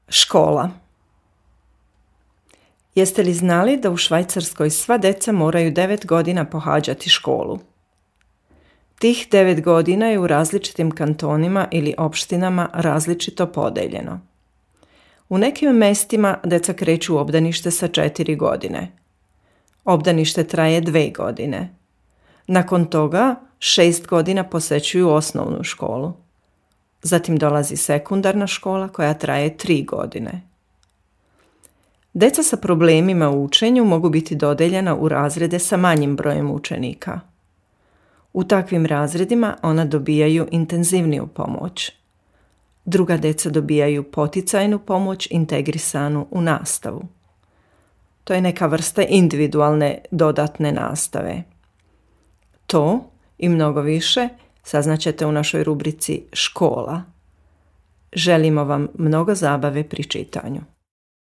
Škola. Jeste li znali da u Švajcarskoj sva djeca moraju 9 godina pohađati školu? Tih 9 godina je u različitim kantonima ili opštinama različito podeljeno. U nekim mestima djeca kreću u obdanište sa 4 godine. Obdanište traje 2 godine. Nakon toga 6 godina posećuju osnovnu školu. Zatim dolazi sekundarna škola koja traje 3 godine. Djeca sa problemima u učenju mogu biti dodeljena u razrede sa manjim brojem učenika. U takvim razredima ona dobijaju intenzivniju pomoć. Druga djeca dobijaju poticajnu pomoć integrisanu u nastavu. To je neka vrsta individualne dodatne nastave. To i mnogo više saznaćete u našoj rubrici Škola. Želimo vam mnogo zabave pri čitanju.